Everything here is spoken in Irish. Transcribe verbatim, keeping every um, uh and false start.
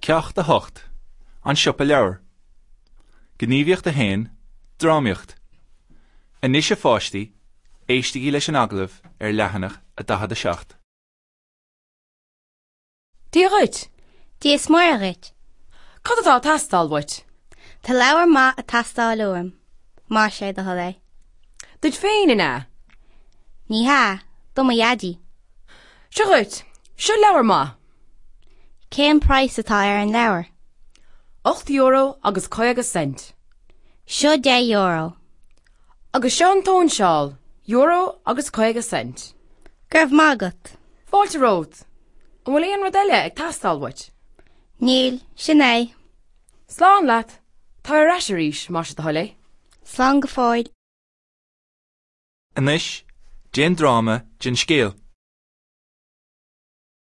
Ceacht a hocht. An Siopa Leabhar. Gníomhaíocht a haon, Drámaíocht. Anois a pháistí, éistigí leis an agallamh ar leathanach a daichead a seacht. Dia dhuit! Dia is Muire dhuit. Cad atá ag teastáil uait? Tá leabhar maith ag teastáil uaim. Más é do thoil é. Duit féin, an ea? Ní hea, do mo dhaidí. Seo dhuit, seo leabhar maith. Cén praghas atá ar an leabhar? Ocht euro agus caoga cent. Seo deich euro. Agus seo an tsóinseáil, euro agus caoga cent. Go raibh maith agat. Fáilte romhat. An bhfuil aon rud eile ag teastáil uait? Níl, sin é. Slán leat, tar ar ais arís, más é do thoil é. Slán go fóill. Anois, déan dráma den scéal.